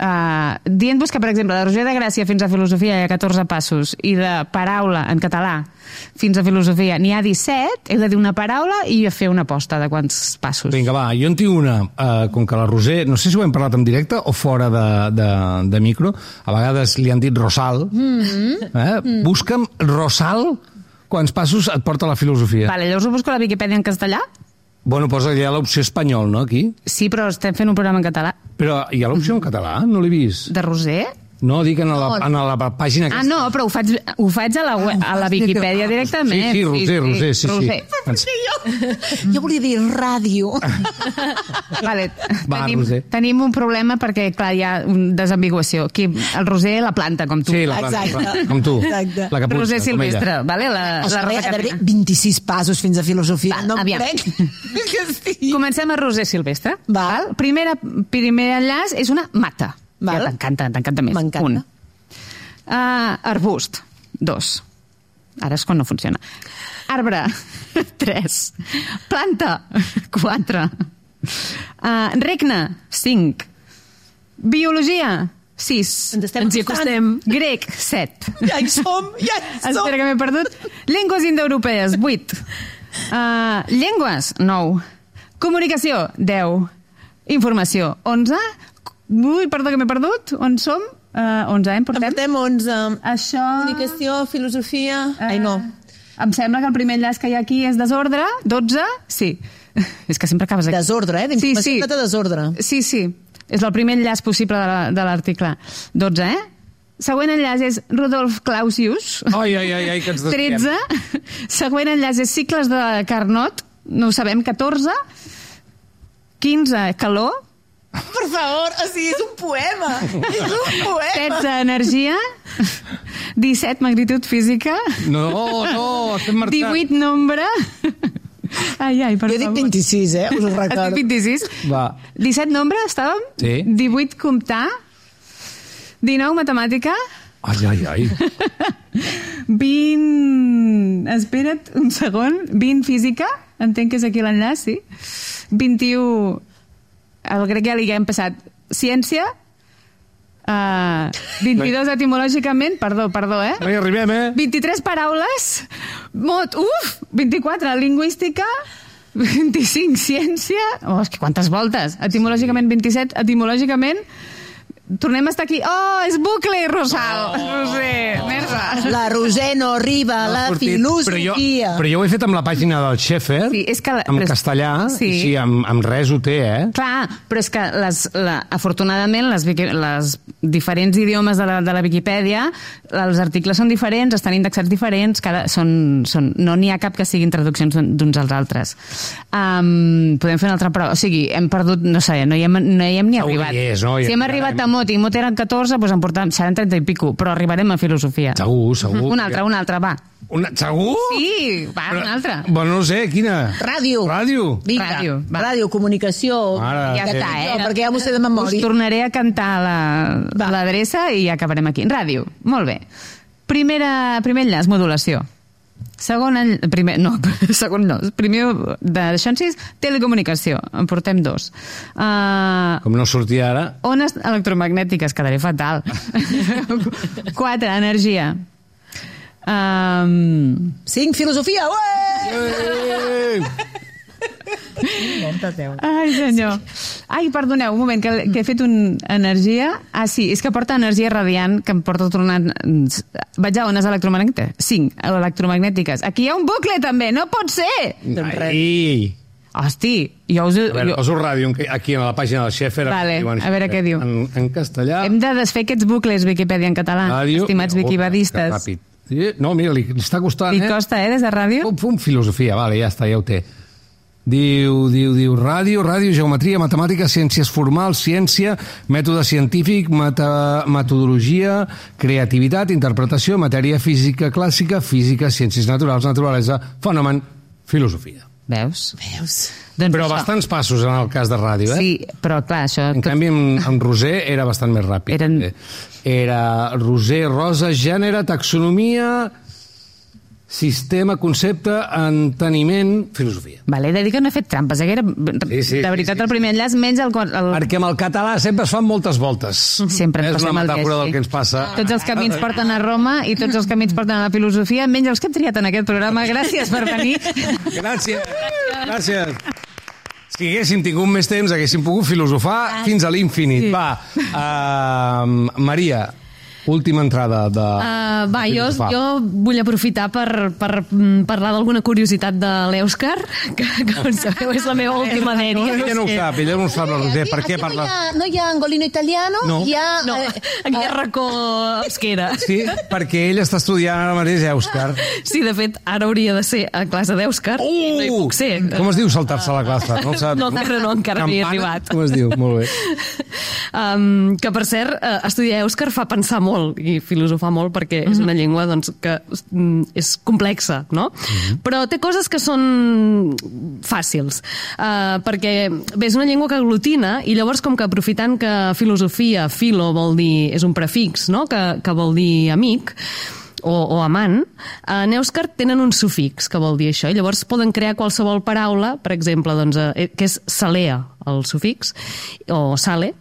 uh, dient-vos que, per exemple, de Roger de Gràcia fins a filosofia hi ha catorze passos i de paraula en català fins a filosofia n'hi ha disset, heu de dir una paraula i fer una aposta de quants passos. Vinga, va, jo en tinc una, uh, com que la Roser, no sé si ho hem parlat en directe o fora de, de, de micro, a vegades li han dit Rosal. Mm-hmm. Eh? Mm. Busca'm Rosal, quants passos et porta la filosofia. Vale, llavors ho busco a la Viquipèdia en castellà? Bueno, posa allà l'opció espanyol, no, aquí? Sí, però estem fent un programa en català. Però hi ha l'opció en català? No l'he vist. De Roser? No, dic en la, en la pàgina Ah, aquesta. no, però ho faig, ho faig a la, web, a la Viquipèdia directament. Sí, sí, Roser, Roser, sí, sí. Roser. Jo volia dir ràdio. Vale, Va, tenim, Roser. tenim un problema perquè, clar, hi ha una desambiguació. Aquí, el Roser la planta, com tu. Sí, la planta, Exacte. com tu. Exacte. La caputxa, Roser com Silvestre, ella. vale? La, O la sigui, Rosa a veure, Caterina. vint-i-sis passos fins a filosofia. Va, no em aviam. crec que sí. Comencem a Roser Silvestre. Val. Primera, primer enllaç és una mata. Val. Ja t'encanta, t'encanta més. M'encanta. Un. Uh, arbust. Dos. Ara és quan no funciona. Arbre. Tres. Planta. Quatre. Uh, regne. Cinc. Biologia. Sis. Ens estem Ens hi acostem. Grec. Set. Ja hi som, ja hi som. Espera que m'he perdut. Llengües indoeuropees. Vuit. Uh, llengües. Nou. Comunicació. Deu. Informació. Onze. Ui, perdó que m'he perdut. On som? Uh, onze, eh? En portem? En portem onze. Això... Comunicació, filosofia... Eh, Ai, no. Em sembla que el primer enllaç que hi ha aquí és desordre. dotze? Sí. És que sempre acabes aquí. Desordre, eh? Sí, sí. De desordre. Sí, sí. És el primer enllaç possible de la- de l'article. dotze, eh? Següent enllaç és Rudolf Clausius. Ai, ai, ai, ai, que ens desviem. tretze. Següent enllaç és Cicles de Carnot. No ho sabem. catorze. quinze. Calor. Per favor, o sigui, és un poema. És un poema. setze. Energia. disset. Magnitud física. No, no, estem marxant. divuit. Nombre. Ai, ai, per Jo dic favor. vint-i-sis, eh? Us ho Has dit recordo. vint-i-sis? Va. disset nombre, estàvem? Sí. divuit comptar. dinou matemàtica. Ai, ai, ai. vint... Espera't un segon. vint física. Entenc que és aquí l'enllaç, sí. vint-i-u... El grec ja li hem passat. Ciència. Uh, vint-i-dos etimològicament. Perdó, perdó, eh? No hi arribem, eh? vint-i-tres paraules. Mot, uf! vint-i-quatre, lingüística. vint-i-cinc, ciència. Oh, és que quantes voltes. Etimològicament, vint-i-set. Etimològicament, tornem a estar aquí. Oh, és bucle, Rosal. Oh. Roser, merda. La Roser no arriba a la Però jo, filosofia. però jo ho he fet amb la pàgina del Schaeffer, Sí, és que la- en però és- castellà, sí. i sí, amb, amb res ho té, eh? Clar, però és que les, la, afortunadament les, Wiki- les diferents idiomes de la, de la Viquipèdia, els articles són diferents, estan indexats diferents, cada, són, són, no n'hi ha cap que siguin traduccions d'un- d'uns als altres. Um, podem fer una altra prova. O sigui, hem perdut, no sé, no hi hem, no hi hem ni Segur arribat. que hi és, no? Si hem arribat a Mot i Mot eren catorze, doncs en portem, seran trenta i pico, però arribarem a filosofia. Segur, segur. Una altra, una altra, va. Una, segur? Sí, va, Però- una altra. Bueno, no sé, quina? Ràdio. Ràdio. Vinga. Ràdio, va. Ràdio, comunicació... Mare Ja de està, Déu. eh? No, perquè ja m'ho sé de Us memòria. tornaré a cantar la- l'adreça i acabarem aquí. Ràdio, molt bé. Primera, primer enllaç, modulació. Segon, en- primer, no, segon no. Primer d'això en sis, telecomunicació. En portem dos. Uh, Com no sortia ara... ones electromagnètiques, quedaré fatal. Quatre, energia. Um, Cinc, filosofia. Ué! ai, senyor. Ai, perdoneu, un moment, que, que he fet un energia... Ah, sí, és que porta energia radiant, que em porta tornant... Vaig a ones electromagnètiques. Cinc, electromagnètiques. Aquí hi ha un bucle, també, no pot ser! Ai! Hosti, jo us... A veure, jo... poso ràdio aquí a la pàgina del Schaeffer. Vale, a veure què diu. En, en castellà... Hem de desfer aquests bucles Viquipèdia en català, Ràdio... estimats Oh, viquipedistes. que ràpid. Sí, no, mira, li, li està costant, Li eh? costa, eh, des de ràdio? Pum, pum, filosofia, vale, ja està, ja ho té. Diu, diu, diu, ràdio, ràdio, geometria, matemàtica, ciències formals, ciència, mètode científic, meta, metodologia, creativitat, interpretació, matèria física clàssica, física, ciències naturals, naturalesa, fenomen, filosofia. Veus? Veus? Doncs Però això. bastants passos en el cas de ràdio, eh? Sí, però clar, això... En canvi, en, en Roser era bastant més ràpid. Eren- Era Roser, Rosa, gènere, taxonomia, sistema, concepte, enteniment, filosofia. Vale, he de dir que no he fet trampes, eh? Que era, Sí, sí, de veritat, sí, sí. el primer enllaç, menys el... el... Perquè amb el català sempre es fan moltes voltes. Sempre ens És passem una el metàfora que del que ens passa. Tots els camins porten a Roma i tots els camins porten a la filosofia, menys els que hem triat en aquest programa. Gràcies per venir. Gràcies. Gràcies. Si haguéssim tingut més temps, haguéssim pogut filosofar fins a l'infinit. Sí. Va, uh, Maria, última entrada de... Uh, va, jo, filosofar. jo vull aprofitar per, per mm, parlar d'alguna curiositat de l'Èuscar, que, que com sabeu és la meva última dèria. Ella no ho sap, ella no ho sap, la Roser. Per què Aquí parla? no hi ha, no hi ha angolino italiano, No. hi ha... No, eh, aquí hi ha racó Euskera. Sí, perquè ell està estudiant ara mateix Èuscar. Sí, de fet, ara hauria de ser a classe d'Èuscar i no hi puc ser. Com es diu saltar-se a la classe? No, ho saps? No, encara no, encara no hi he Campana? arribat. Com es diu? Molt bé. Um, que, per cert, uh, estudiar Èuscar fa pensar molt i filosofar molt perquè és una llengua doncs, que mm, és complexa, no? Però té coses que són fàcils. Uh, perquè, bé, és una llengua que aglutina i llavors, com que aprofitant que filosofia, filo vol dir, és un prefix, no? que, que vol dir amic, o, o amant, en èuscar tenen un sufix que vol dir això, i llavors poden crear qualsevol paraula, per exemple, doncs, eh, que és salea, el sufix, o sale,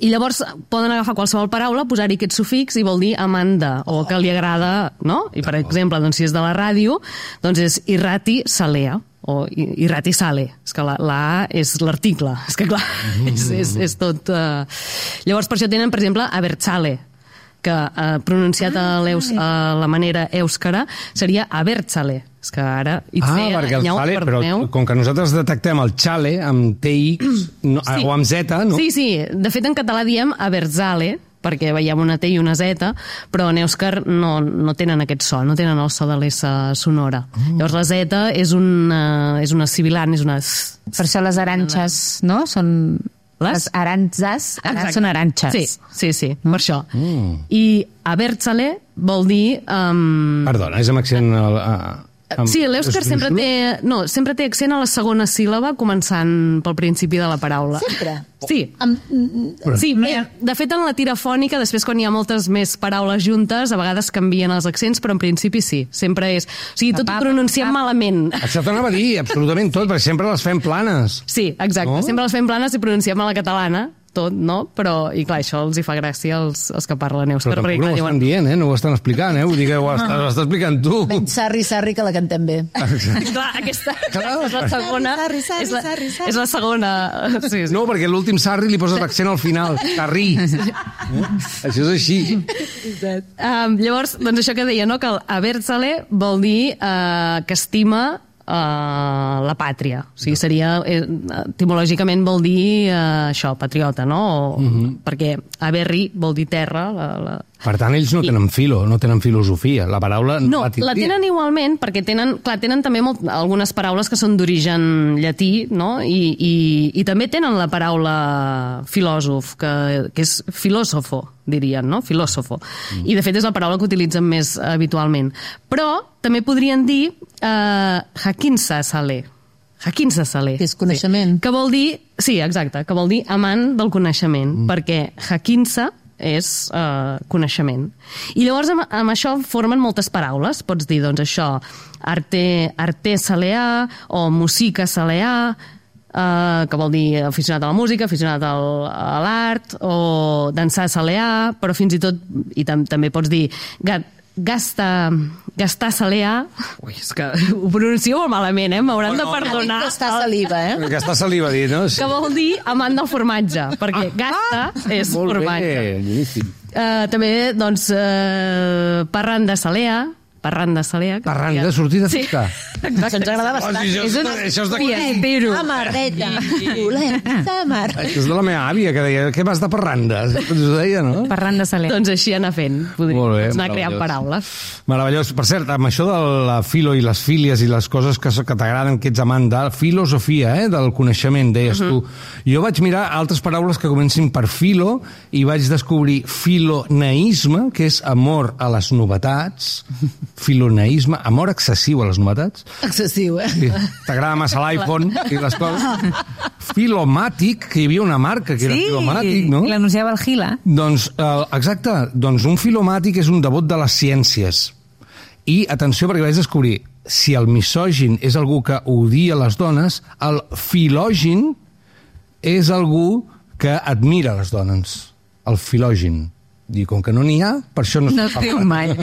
i llavors poden agafar qualsevol paraula, posar-hi aquest sufix i vol dir amant de, o que li agrada, no? I, per exemple, doncs, si és de la ràdio, doncs és irrati salea, o irrati sale. És que la, la A és l'article. És que, clar, és, és, és tot... Uh... Llavors, per això tenen, per exemple, abertzale, que eh, pronunciat a, a la manera èuscara seria abertzale. És que ara... Ah, perquè el xale, però com que nosaltres detectem el xale amb T X no, Sí. o amb Z, no? Sí, sí. De fet, en català diem abertzale, perquè veiem una T i una Z, però en èuscar no, no tenen aquest so, no tenen el so de l'S sonora. Mm. Llavors la Z és una, és una sibilant, és una... Per això les aranxes, no? Són... Les? Les arantzes, ara Exacte. són aranxes. Sí, sí, sí, per això. Mm. I abertzale vol dir... Um... Perdona, és amb accent... Al, a, amb... Sí, l'èuscar és- sempre té, no, sempre té accent a la segona síl·laba començant pel principi de la paraula. Sempre? Sí. Amb, Sí, eh, de fet, en la tirafònica, després quan hi ha moltes més paraules juntes, a vegades canvien els accents, però en principi sí, sempre és... O sigui, tot ho pronunciem malament. Això t'anava a dir, absolutament tot, perquè sempre les fem planes. Sí, exacte. No? Sempre les fem planes i pronunciem a la catalana, tot, no? Però, i clar, això els hi fa gràcia als, als que parlen èuscar. Però tampoc perquè, no clar, ho estan dient, eh? No ho estan explicant, eh? Vull dir que ho està, ho està explicant tu. ben sarri, sarri, que la cantem bé. Clar, aquesta, Clar. és la segona... Sarri, sarri, és la, sarri, sarri. és la segona... Sí, sí. No, perquè l'últim sarri li poses l'accent al final. Sarri. Eh? Això és així. Um, llavors, doncs això que deia, no? Que el abertzale vol dir uh, que estima uh, la pàtria. O sigui, seria, eh, etimològicament vol dir uh, això, patriota, no? O, mm-hmm. Perquè aberri vol dir terra. La, la... Per tant, ells no tenen filo, no tenen filosofia. La paraula No, la la tindrien. tenen igualment, perquè tenen, clar, tenen també molt, algunes paraules que són d'origen llatí, no? I, i, i també tenen la paraula filòsof, que, que és filòsofo, dirien, no? Filòsofo. Mm. I, de fet, és la paraula que utilitzen més habitualment. Però també podrien dir eh, jaquinsa sale. Jaquinsa sale. Que és coneixement. Sí. Que vol dir, sí, exacte, que vol dir amant del coneixement, mm. perquè jaquinsa és uh, coneixement. I llavors amb, amb això formen moltes paraules. Pots dir, doncs, això, arte, arte saleà o musica saleà, uh, que vol dir aficionat a la música, aficionat al, a l'art, o dansar saleà, però fins i tot, i tam també pots dir gat, gasta, gastar saleà. Ui, és que ho pronuncio molt malament, eh? M'hauran de perdonar. Està saliva, eh? Que està saliva dit, no? Que vol dir amant del formatge, perquè gasta és Molt formatge. bé, boníssim. Uh, també, doncs, uh, parranda salea, parranda salea. que Parranda, seria- sortir de Sí, festa. exacte. Això ens agrada bastant. Oh, sí, això, és, això és de... I espero. Samarreta. Volem samar. Això és de la meva àvia, que deia, què vas de parranda? Ens ho deia, no? Parlant de saler. Doncs així anar fent, podríem Molt bé, anar creant meravellós. paraules. Meravellós. Per cert, amb això de la filo i les fílies i les coses que, que t'agraden, que ets amant de filosofia, eh, del coneixement, deies uh -huh. tu. Jo vaig mirar altres paraules que comencin per filo i vaig descobrir filoneisme, que és amor a les novetats, filoneïsme, amor excessiu a les novetats. Excessiu, eh? Sí. T'agrada massa l'iPhone i les coses. Filomàtic, que hi havia una marca que era Sí, filomàtic, no? l'anunciava el Gila. Doncs, eh, exacte, doncs un filomàtic és un devot de les ciències. I, atenció, perquè vaig descobrir, si el misògin és algú que odia les dones, el filògin és algú que admira les dones. El filògin. I com que no n'hi ha, per això no es No es diu mai.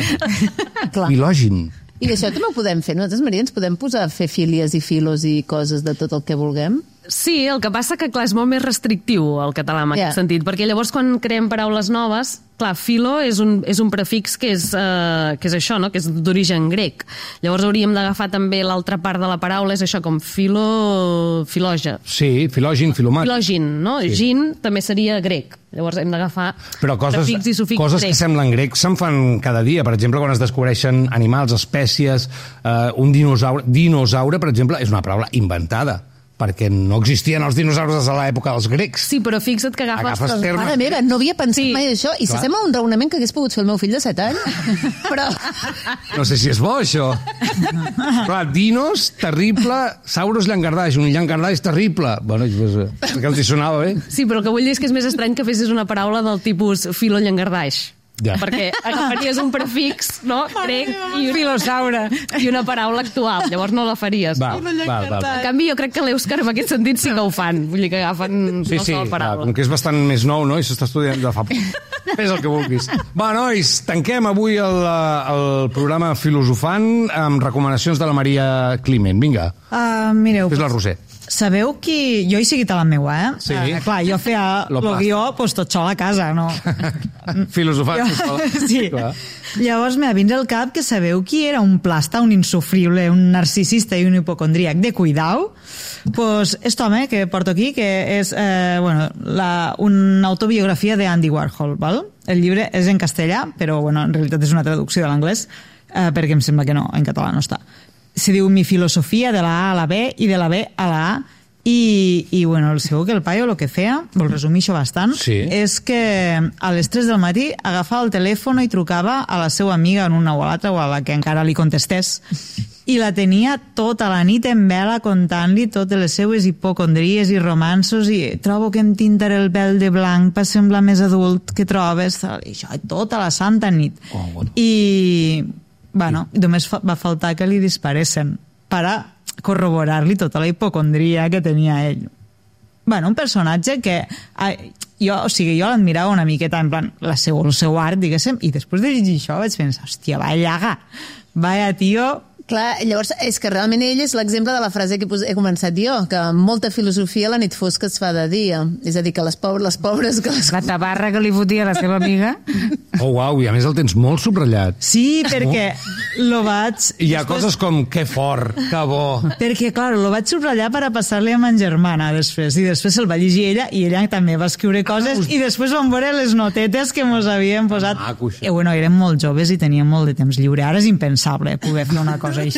Clar. Filògin. I això també ho podem fer. Nosaltres, Maria, ens podem posar a fer fílies i filos i coses de tot el que vulguem? Sí, el que passa que, clar, és molt més restrictiu el català en Ja. aquest sentit, perquè llavors quan creem paraules noves, clar, filo és un, és un prefix que és, eh, que és això, no? Que és d'origen grec. Llavors hauríem d'agafar també l'altra part de la paraula, és això, com filo... filoja. Sí, filògin, filomàtic. Filògin, no? Sí. Gin també seria grec. Llavors hem d'agafar Però coses, prefix i sufix coses grec. que semblen grecs se'n fan cada dia. Per exemple, quan es descobreixen animals, espècies, eh, un dinosaure... Dinosaure, per exemple, és una paraula inventada, perquè no existien els dinosaures des de l'època dels grecs. Sí, però fixa't que agafes... Agafes termes. Mare meva, no havia pensat Sí. mai d'això. I Clar. s'assembla a un raonament que hagués pogut fer el meu fill de set anys. Però... No sé si és bo, això. Clar, dinos, terrible, sauros, llangardaix. Un llangardaix terrible. Bueno, pues, perquè els hi sonava bé. Sí, però el que vull dir és que és més estrany que fessis una paraula del tipus filo-llangardaix. Ja. Perquè agafaries un prefix, no?, grec, i un filosaure, i una paraula actual. Llavors no la faries. Va, va, va. En canvi, jo crec que l'Èuscar en aquest sentit sí que ho fan. Vull dir que agafen Sí, sí, qualsevol clar, paraula. com que és bastant més nou, no?, i s'està estudiant de fa poc. Fes el que vulguis. Va, nois, tanquem avui el, el programa Filosofant amb recomanacions de la Maria Climent. Vinga, Uh, mireu, fes la Roser. sabeu qui... Jo he seguit a la meua, eh? Sí. Uh, clar, jo feia Lo el pasta. guió pues, tot sol a casa, no? Filosofant. Jo- sisplau. sí. Clar. Llavors m'ha vins al cap que sabeu qui era un plasta, un insufrible, un narcisista i un hipocondríac de cuidau? Pues este home que porto aquí, que és eh, bueno, la, una autobiografia de Andy Warhol, val? El llibre és en castellà, però bueno, en realitat és una traducció de l'anglès, eh, perquè em sembla que no, en català no està. Se diu Mi filosofia de la A a la B i de la B a la A. I, i bueno, segur que el paio el que feia, vol resumir això bastant, Sí. és que a les tres del matí agafava el telèfon i trucava a la seva amiga en una o a l'altra o a la que encara li contestés i la tenia tota la nit en vela contant-li totes les seues hipocondries i romansos i trobo que em tintaré el pèl de blanc per semblar més adult que trobes, i això tota la santa nit. Oh, bueno. I bueno, només fa, va faltar que li disparessen per a corroborar-li tota la hipocondria que tenia ell. Bueno, un personatge que ai, jo, o sigui, jo l'admirava una miqueta en plan, la seu, el seu art, diguéssim, i després de llegir això vaig pensar, hòstia, vaya llaga, vaya tio. Clar, llavors és que realment ell és l'exemple de la frase que he començat jo, que amb molta filosofia la nit fosca es fa de dia. És a dir, que les pobres, les pobres que les... La tabarra que li fotia la seva amiga. Oh, uau, i a més el tens molt subratllat. Sí, perquè lo vaig... I hi ha coses com, que fort, que bo. Perquè, clar, lo vaig subratllar per a passar-li a ma germana després, i després se'l va llegir ella, i ella també va escriure coses, i després vam veure les notetes que mos havien posat. Maco, això. I bueno, érem molt joves i teníem molt de temps lliure. Ara és impensable poder fer una cosa així.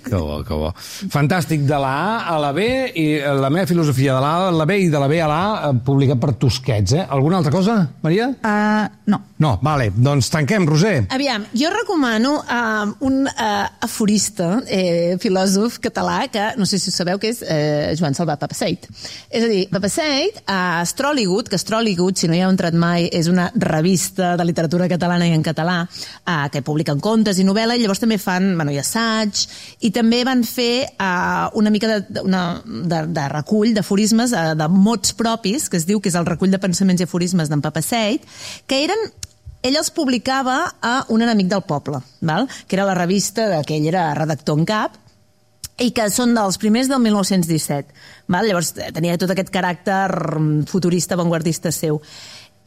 Que bo, que bo. Fantàstic, de la A a la B, i la meva filosofia de la A a la B i de la B a la A, publicat per Tusquets, eh? Alguna altra cosa, Maria? Uh, no. No, vale, doncs tanquem, Roser. Aviam, jo recomano uh, un uh, aforista, eh, filòsof català, que no sé si ho sabeu, que és eh, Joan Salvat Papasseit. És a dir, Papasseit, a Astròligut, que Astròligut, si no hi heu entrat mai, és una revista de literatura catalana i en català, uh, que publiquen contes i novel·la, i llavors també fan, bueno, i assaig, i també van fer uh, una mica de, una, de, de recull d'aforismes, uh, de mots propis, que es diu que és el recull de pensaments i aforismes d'en Papasseit, que eren ell els publicava a Un enemic del poble, val? Que era la revista que ell era redactor en cap, i que són dels primers del mil nou-cents disset. Val? Llavors tenia tot aquest caràcter futurista, avantguardista seu.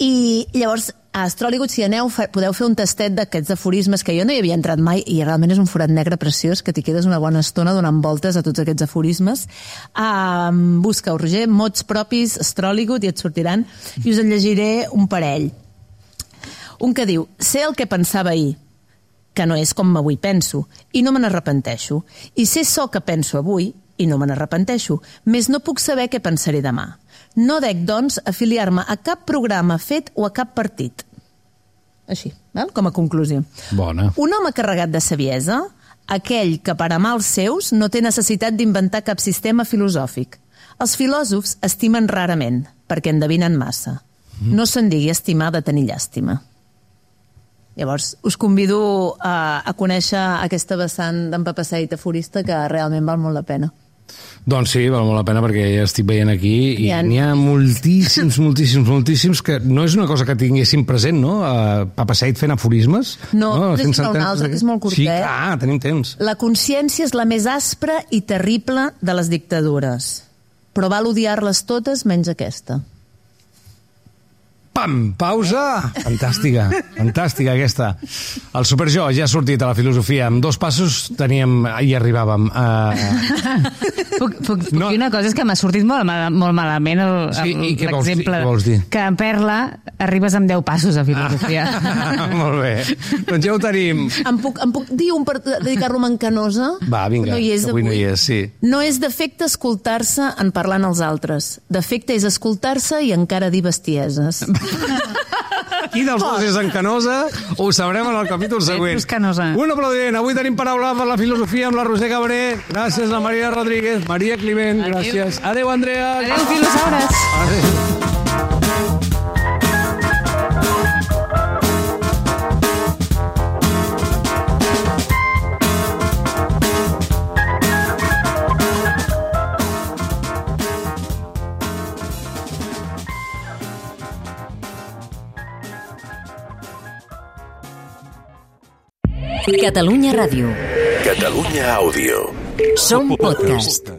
I llavors, a Astròligut, si aneu, podeu fer un tastet d'aquests aforismes, que jo no hi havia entrat mai, i realment és un forat negre preciós, que t'hi quedes una bona estona donant voltes a tots aquests aforismes. Um, busca-ho, Roger, mots propis, Astròligut, i et sortiran, i us en llegiré un parell. Un que diu, sé el que pensava ahir, que no és com avui penso, i no me n'arrepenteixo. I sé so que penso avui, i no me n'arrepenteixo, més no puc saber què pensaré demà. No dec, doncs, afiliar-me a cap programa fet o a cap partit. Així, val? Com a conclusió. Bona. Un home carregat de saviesa, aquell que per amar els seus no té necessitat d'inventar cap sistema filosòfic. Els filòsofs estimen rarament, perquè endevinen massa. No se'n digui estimar de tenir llàstima. Llavors, us convido a, a conèixer aquesta vessant d'en Papaseit aforista que realment val molt la pena. Doncs sí, val molt la pena perquè ja estic veient aquí i ha... n'hi ha moltíssims, moltíssims, moltíssims que no és una cosa que tinguéssim present, no? Uh, Papaseit fent aforismes. No, no és un altre, que és molt curtet. Sí, clar, tenim temps. La consciència és la més aspra i terrible de les dictadures, però val odiar-les totes menys aquesta. Pam! Pausa! Fantàstica, fantàstica aquesta. El Superjo ja ha sortit a la filosofia. Amb dos passos teníem... Hi arribàvem. Uh... Puc, puc, puc no. dir una cosa, és que m'ha sortit molt, molt malament sí, l'exemple. Què vols dir? Que en Perla arribes amb deu passos a filosofia. Ah, molt bé. Doncs ja ho tenim. Em puc, em puc dir un per dedicar-lo a en Canosa? Va, vinga, no hi és avui no hi és, sí. No és defecte escoltar-se en parlant als altres. Defecte és escoltar-se i encara dir bestieses. Qui dels dos és en Canosa? Ho sabrem en el capítol següent. Un aplaudiment. Avui tenim paraula per la filosofia amb la Roser Cabré. Gràcies a Maria Rodríguez, Maria Climent. Adéu. Gràcies. Adéu, Andrea. Adéu, filosaures. Adéu. Catalunya Ràdio. Catalunya Àudio. Som podcast.